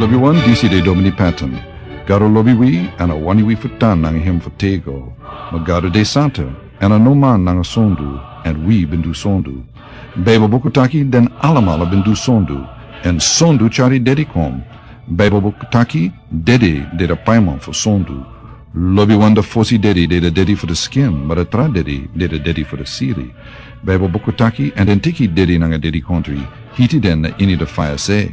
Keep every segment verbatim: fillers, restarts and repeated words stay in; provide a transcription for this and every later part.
Lobiwan, disi de Domini Patton. Gado lobi wi, èn a wani wi fu tan nanga hem fu tego. Ma Gado de santa, èn a no man nanga sondu, èn wi ben du sondu. Baibel buku taki den alamala ben du sondu, èn sondu tyari dede kon. Baibel buku taki dede de de paiman fu sondu. Lobiwan, de fosi dede de de dede fu de skin, ma de tra dede de de dede fu de siri. Baibel buku taki, èn den teki dede nanga dede kontri, hiti den na ini de faya se.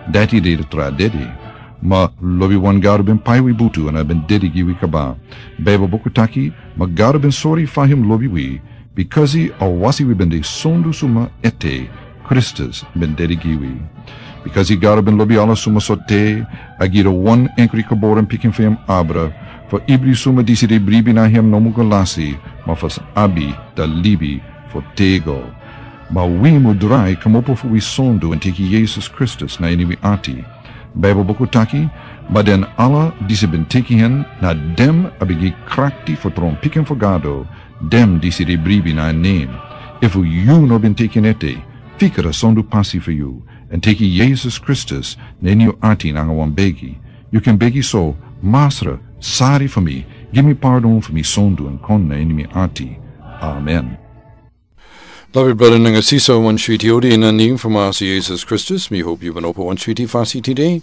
Dati de de tra dede. Ma lobiwan, Gado ben pai wi butu èn a ben dede gi wi kaba. Baibel buku taki, ma Gado ben sori fa hem lobi wi, bikasi a wasi wi ben de sondu suma ete, Kristus ben dede gi wi. Bikasi Gado ben lobi ala suma sortu, a gi de wan enkri geboren pikin fu hem abra, fu ibri suma disi de bribi na hem no mu go lasi, ma fu sa abi de libi fu tego. Ma wi mu drai kmopo fu wi sondu èn teki Yesus Kristus na ini wi ati. Baibel buku taki, ma den ala disi ben teki hen, na den a ben gi krakti fu tron pikin fu Gado, den disi de bribi na en nen. Efu yu no ben teki en ete, fika a sondu pasi fu yu, èn teki Yesus Kristus na ini yu ati nanga wan begi. Yu kan begi so: Masra, sari fu mi, gi mi pardon fu mi sondu èn kon na ini mi ati. Amen. Lobi brada nanga sisa, wan switi odi na nen fu Masra Yesus Kristus, mi hopi yu ben opo wan switi fasi tide,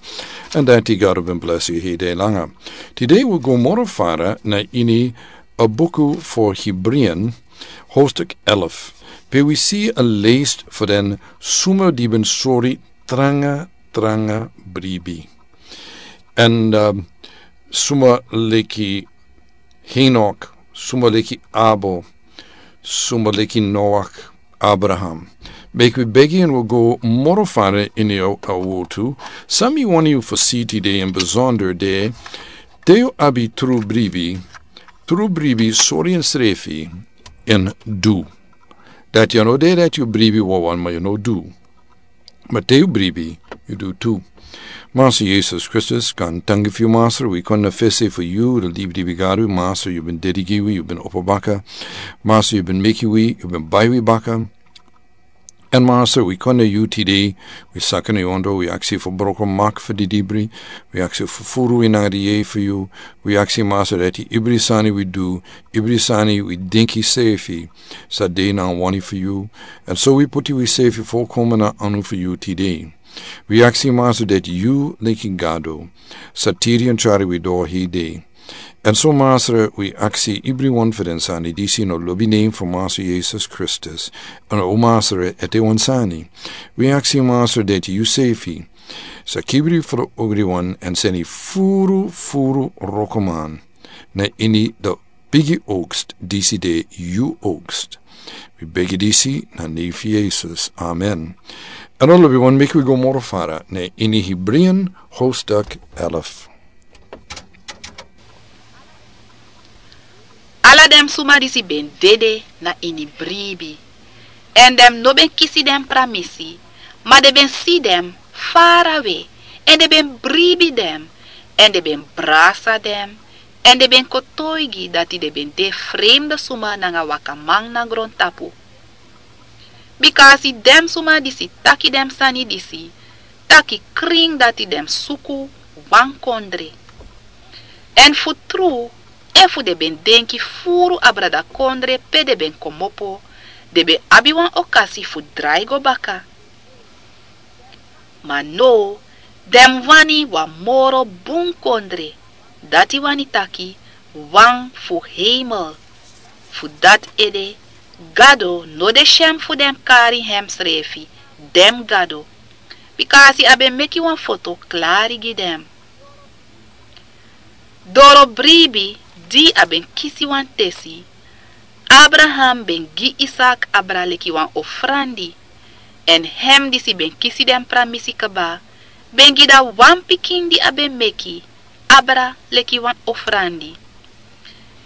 èn dati Gado ben blesi yu hede langa. Tide wi go moro fara na ini a buku fu Hebrian, hoofdstuk elf, pe wi si a lijst fu den suma di ben sori tranga, tranga bribi. Èn, ehm, suma leki Henok, suma leki Abel, suma leki Noach, Abraham. Meki wi begi èn wi go moro fara ini a, a wortu. San mi wani yu fu si tide, in besonder de, te yu abi tru bribi, tru bribi sori ensrefi èn du. Dati a no de dati yu bribi wawan ma yu no du. Ma te yu bribi, yu du tu. Masra Yesus Kristus, kon tangi fu yu, Masra, wi kon na fesi fu yu, de libi di wi gari, Masra, yu ben dede gi wi, yu ben opo baka. Masra, yu ben meki wi, yu ben bai wi baka. Èn Masra, wi kon na yu tide, wi saka na yu ondro, wi aksi fu broko mak fu di dibri, wi aksi fu furu wi nanga di yeye fu yu, wi aksi Masra dati ibri sani wi du, ibri sani wi denki srefi, sa de na wani fu yu, èn so wi poti wi srefi folkomen na anu fu yu tide. Wi aksi Masra dati yu leki Gado, sa tiri èn trari wi doro hede. Èn so Masra, wi aksi ibriwan fu den sani disi na lobi nen fu Masra Yesus Kristus, èn o Masra ete wan sani. Wi aksi Masra dati yu srefi, sa kibri fu ogriwan èn seni furu, furu wrokoman, na ini de bigi oogst disi de yu oogst. Wi begi disi na nen fu Yesus. Amen. Èn o lobiwan, meki wi go moro fara na ini Hebrian hoofdstuk elf. Ala den suma disi ben dede na ini bribi. Èn den no ben kisi den pramisi, ma den ben si den farawe, èn den ben bribi den, èn den ben brasa den, èn den ben kotoigi dati den ben de fremde suma nanga wakaman na grontapu. Bika a si den suma disi taki den sani disi, taki krin dati den suku wan kondre. Èn fu tru, efu den ben denki furu abra da kondre pe den ben komopo, den ben abi wan okasi fu drai go baka. Ma now, den wani wan moro bun kondre, dati wani taki wan fu heimel. Fu dati ede, Gado no de syen fu den kari hemsrefi den gado, bika a si a ben meki wan foto klari gi den. Doro bribi di a ben kisi wan tesi, Abraham ben gi Isak abra leki wan ofrandi, èn hem disi ben kisi den pramisi kaba, ben gi da wan pikin di a ben meki abra leki wan ofrandi.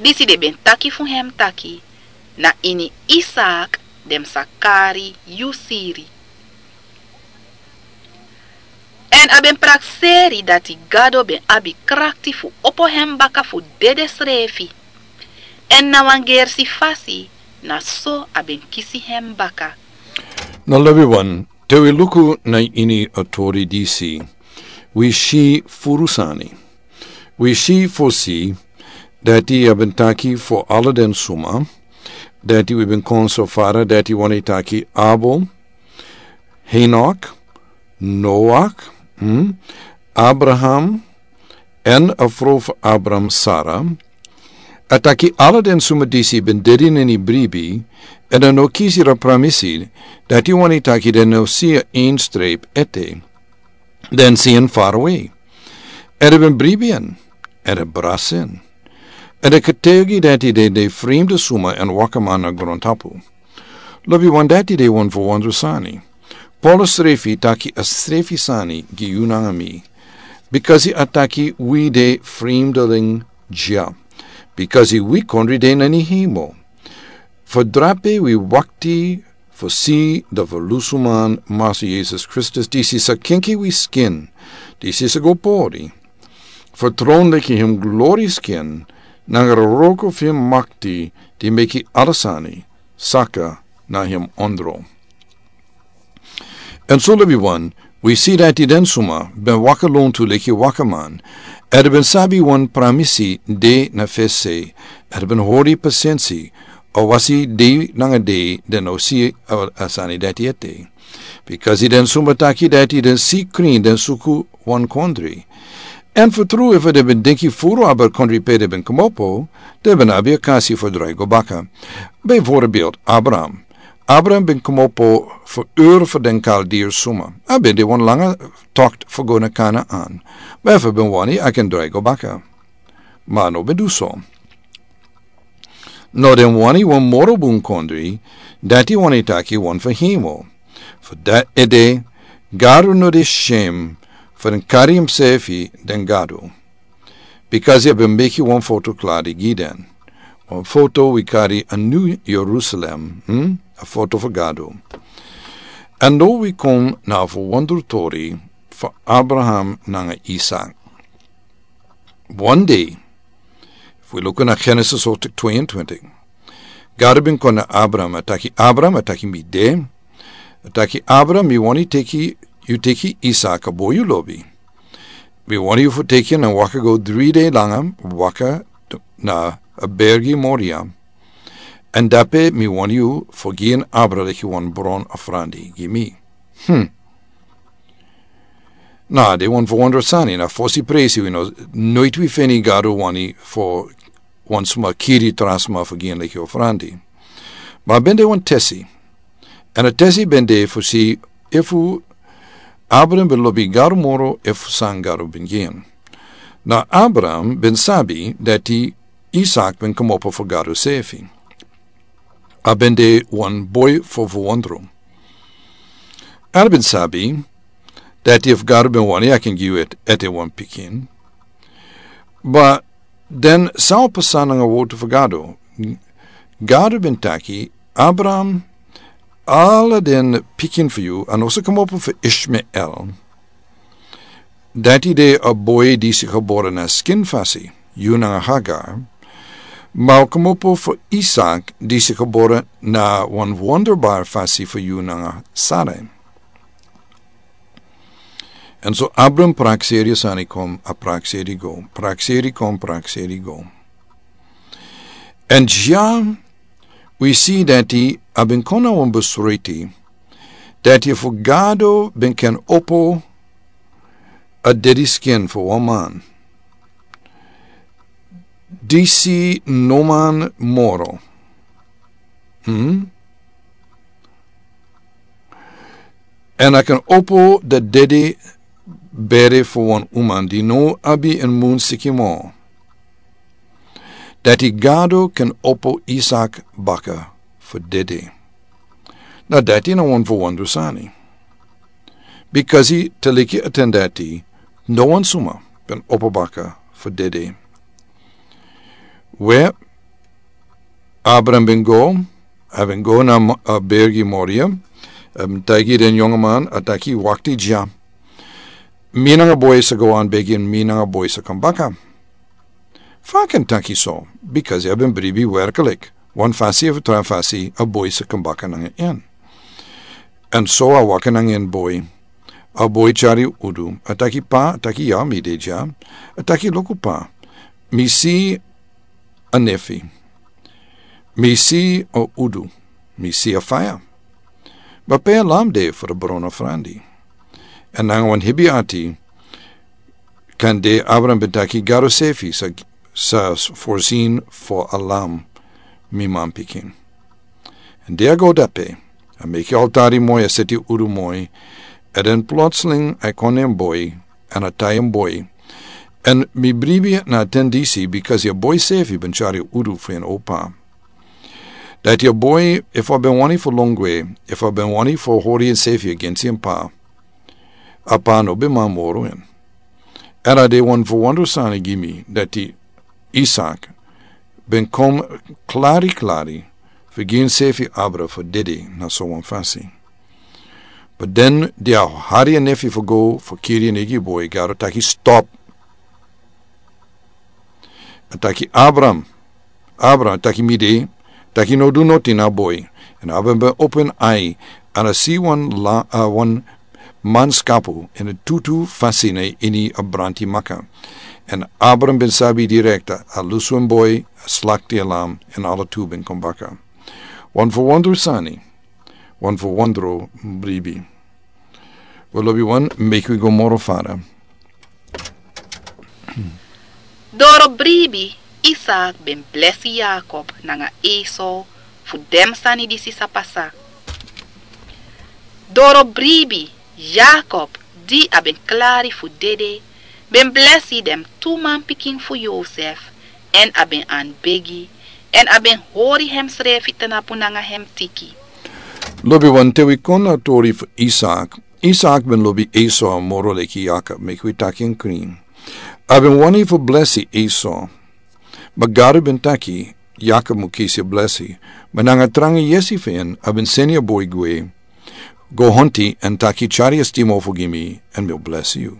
Disi den ben taki fu hem taki, na ini Isak den sa kari yu siri. Èn a ben prakseri dati Gado ben abi krakti fu opo hem baka fu dede srefi. Èn na wan gersi fasi, na so a ben kisi hem baka. Na lobiwan, te wi luku na ini a tori disi, Wi si furu sani. Wi si fosi dati a ben taki fo ala den suma dati wi ben kon so fara dati wani taki Abel, Henok, Noak, hmm, Abraham, en a frow fu Abraham, Sara. A taki ala den suma disi ben dedi neni bribi, en a no kisi ra pramisi dati wani taki den no si a ein streep ete. Den si en far away. En a ben bribi en, en a brasi en. En a kategi dati de de frimde suma en wakaman na grontapu. Lobi wan dati de wan fu wan sani. Paulus srefi taki a srefi sani gi yu nanga mi. Bikasi a taki wi de frimdeling dya. Bikasi wi kondri de na ni hemo. Fu drape wi wakti fu si da fu lusuman Masa Yesus Kristus disi sa kenki wi skin. Disi sa go pori. Fu tron leki him glori skin nanga roko fu him makti di meki ala sani saka na him ondro. En so lobi wan, wi si dati den suma ben waka lontu leki wakaman. Ede ben sabi wan pramisi de na fese. Ede ben hori pasensi o wasi de nanga de den o si a, a sani dati ete. Bikasi den suma taki dati den si krin den suku wan kondri. En fu tru efu den ben denki furu aber kondri pe den ben komopo, den ben abi a kasi fu drai go baka. Bijvoorbeeld Abraham. Abraham ben komopo fu Ur fu den Kaldir suma. A ben de wan langa tokt fu go na Kanaan. Ma efu ben wani a ken drai go baka. Ma no ben du so. No den wani wan moro bun kondri, dati wani taki wan fu hemo. Fu dati ede, Gadu no de shem fu den kari himsefi den Gadu. Bikasi a ben meki wan foto kladi gi den. Wan foto wi kari a New Jerusalem, hmm? A foto fu Gadu. En no wi kon na fu wondru tori fu Abraham nanga Isak. One day, efu wi luku na Genesis hoofdstuk tweeëntwintig. Gadu ben kon na Abraham, a taki Abraham, a taki mi de. A taki Abraham, mi wani teki, yu teki Isak a boi yu lobi. Mi wani yu fu teki en waka go dri de langa, waka na a bergi Moria. En dape mi wani yu fu gi en Abraham leki wan bron a frandi gi mi. Hmm. Na, de wan fu wondru sani, na fosi presi wi no, noit wi feni Gadu wani fu wan suma kiri tra suma fu gi en leki ofrandi. Ma ben de wan tesi. En a tesi ben de fu si efu Abraham ben lobi Gadu moro efu san Gadu ben gi en. Na Abraham ben sabi dati Isak ben komopo fu Gadu sefi. A ben de wan boi fu fu wondru. A ben sabi dati efu Gadu ben wani a ken gi yu ete wan pikin. But den san o pasa nanga wotu fu Gadu. Gadu ben taki, Abraham, ala den pikin fu yu, a no sa komopo fu Ishmael. Dati de a boi disi gebore na skin fasi, yu nanga Hagar. Ma o komopo fu Isak disi gebore na wan wonderbar fasi fu yu nanga Sarai. En so Abraham prakseri sani kon, a prakseri go, prakseri kon, prakseri go. En ya, wi si dati a ben kon na wan besluiti, dati efu Gadu ben ken opo a dedi skin fu wan man. Disi no man moro. Hmm? En a ken opo da dedi bere fu wan uman di no abi en mun siki mo. Dati Gadu ken opo Isak baka fu dedi. Na dati na wan fu wondru sani. Bikasi taliki a ten dati, no wan suma ben opo baka fu dedi. We, Abraham ben go, a ben go na mo-, a bergi Moria, a ben taigi den yonga man, a taki wakti ya. Mi nanga boi sa go an begi en mi nanga boi sa kon baka. Fa a ken taki so, bikasi a ben bribi werkelik. Wan fasi efu tra fasi a boi sa kon baka nanga en. En so a waka nanga en boi. A boi tyari udu. A taki: "Pa," a taki, "ya, mi de dya." A taki: "Luku, pa, mi si a nefi. Mi si a udu. Mi si a faya. Ma pe a lam de fu a brona frandi?" Èn nanga wan hebi ati, kande Abraham ben taki: "Gado sefi sa, sa voorzien fu a lam, mi manpikin." Èn di a go dape, a meki altari moi, a seti udu moi, èn den plotseling a kon na en boi, èn a tai en boi. Èn mi bribi na a ten disi, bikasi a boi sefi ben tyari udu fu en opa. Dati a boi, efu a ben wani fu lon gwe, efu a ben wani fu hori ensefi agensi en pa, a pa no ben man moro en. Èn a de wan verwonderd sani gi mi, dati Isak ben kon klari klari fu gi ensefi abra fu dede na so wan fasi. But den di a hari a nefi fu go fu kiri en eigi boi, Gado taki: "Stop." A taki: "Abraham, Abraham," a taki: "Mi de." A taki: "No du noti na boi." Èn Abraham ben opo en ai, èn a si wan la, a wan manskapu ini a tutu fasi na ini a branti maka. Èn Abraham ben sabi direkta, a lusu en boi, a slakti a lam, èn ala tu ben kon baka. Wan verwonderd sani, wan verwonderd bribi. We lobi wan, meki wi go moro fara. Doro bribi, Isak ben blesi Yakob nanga Esau fu den sani disi sa pasa. Doro bribi, Yakob, di a ben klari fu dede, ben blesi den tu manpikin fu Yosef, èn a ben anbegi, èn a ben hori hemsrefi tnapu nanga hem tiki. Lobi wan, te wi kon na a tori fu Isak. Isak ben lobi Esau moro leki Yakob, meki wi taki en krin. A ben wani fu blesi Esau. Ma Gado ben taki Yakob mu kisi a blesi. Ma nanga tranga yesi fu en, a ben seni a boi gwe. Go honti èn taki: "Tyari a stimofo gi mi, èn mi o blesi yu."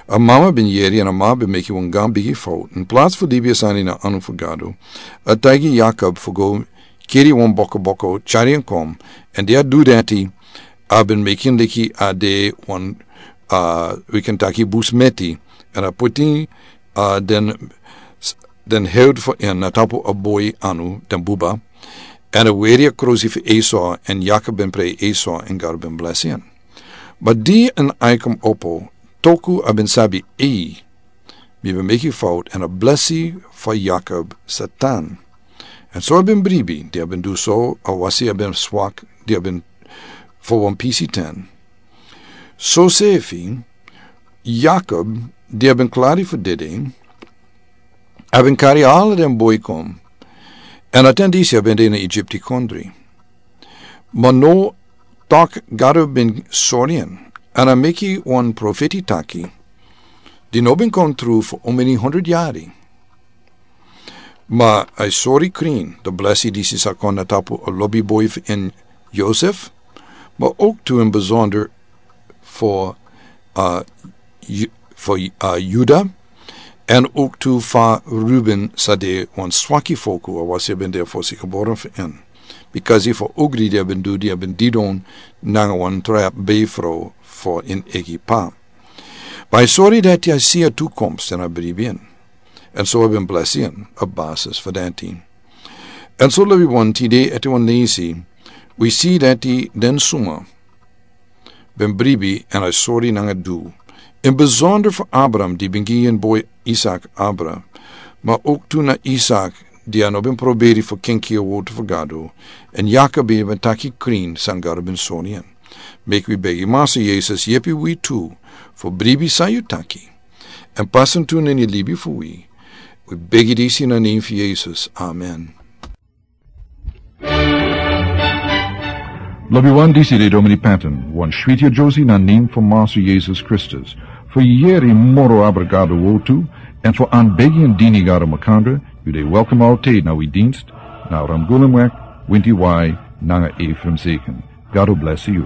A mama ben yere, èn a mama ben meki wan gran bigi fout. In plats fu libi a sani na anu fu Gado, a taigi Yakob fu go kiri wan bokoboko, tyari en kon. Èn di a du dati, a ben meki en leki a de wan, a, wi kan taki, busmeti. Èn a puti, a, den, den hewdu fu en na tapu a boi anu, den buba. Èn a weri a krosi fu Esau, èn Yakob ben prei Esau, èn Gado ben blesi en. Ma di en ai kon opo, toku a ben sabi, ei, mi ben meki fout, èn a blesi fu Yakob sa tan. Èn so a ben bribi, di a ben du so, awasi a ben swak, di a ben fu wan pisi ten. Sosefi, Yakob, di a ben klari fu dede, a ben kari ala den boi kon, èn a ten disi a ben de na Egypti kondre. Ma now, tok Gado ben sori en, èn a meki wan profeti taki, di no ben kon tru fu omeni hondro yari. Ma a sori krin, di blesi disi sa kon na tapu a lobi boi fu en Yosef, ma ook tu in bijzonder fu, a, Ju-, fu, a, Juda, èn ook tu fu Ruben sa de wan swaki foku, awasi a ben de fosi geboren fu en. Bikasi fu ogri di a ben du, di a ben didon nanga wan tra befro fu en eigi pa. Ma a sori dati a si a toekomst èn a bribi en. Èn so a ben blesi en, a basis fu dati. Èn so lobi wan, tide ete wan leisi, wi si dati den suma ben bribi èn a sori nanga du. In bijzonder fu Abraham, di ben gi en boi Isak abra, ma ook tu na Isak, di a no ben proberi fu kenki a word fu Gado, èn Yakob ben taki krin san Gado ben sori en. Meki wi begi Massa Yesus yepi wi tu fu bribi san yu taki. Èn pasa en tu na ini libi fu wi. Wi begi disi na nen fu Yesus. Amen. Lobi wan, disi de Domini Patton, wan switi a Josi na nen fu Massa Yesus Kristus. Fu yere moro abra Gado word tu, èn fu anbegi èn dini Gado makandra, yu de welkom altijd na wi dienst, na Ramgulumweg, winti wai, nanga Ephraim Zeken. Gado blesi yu.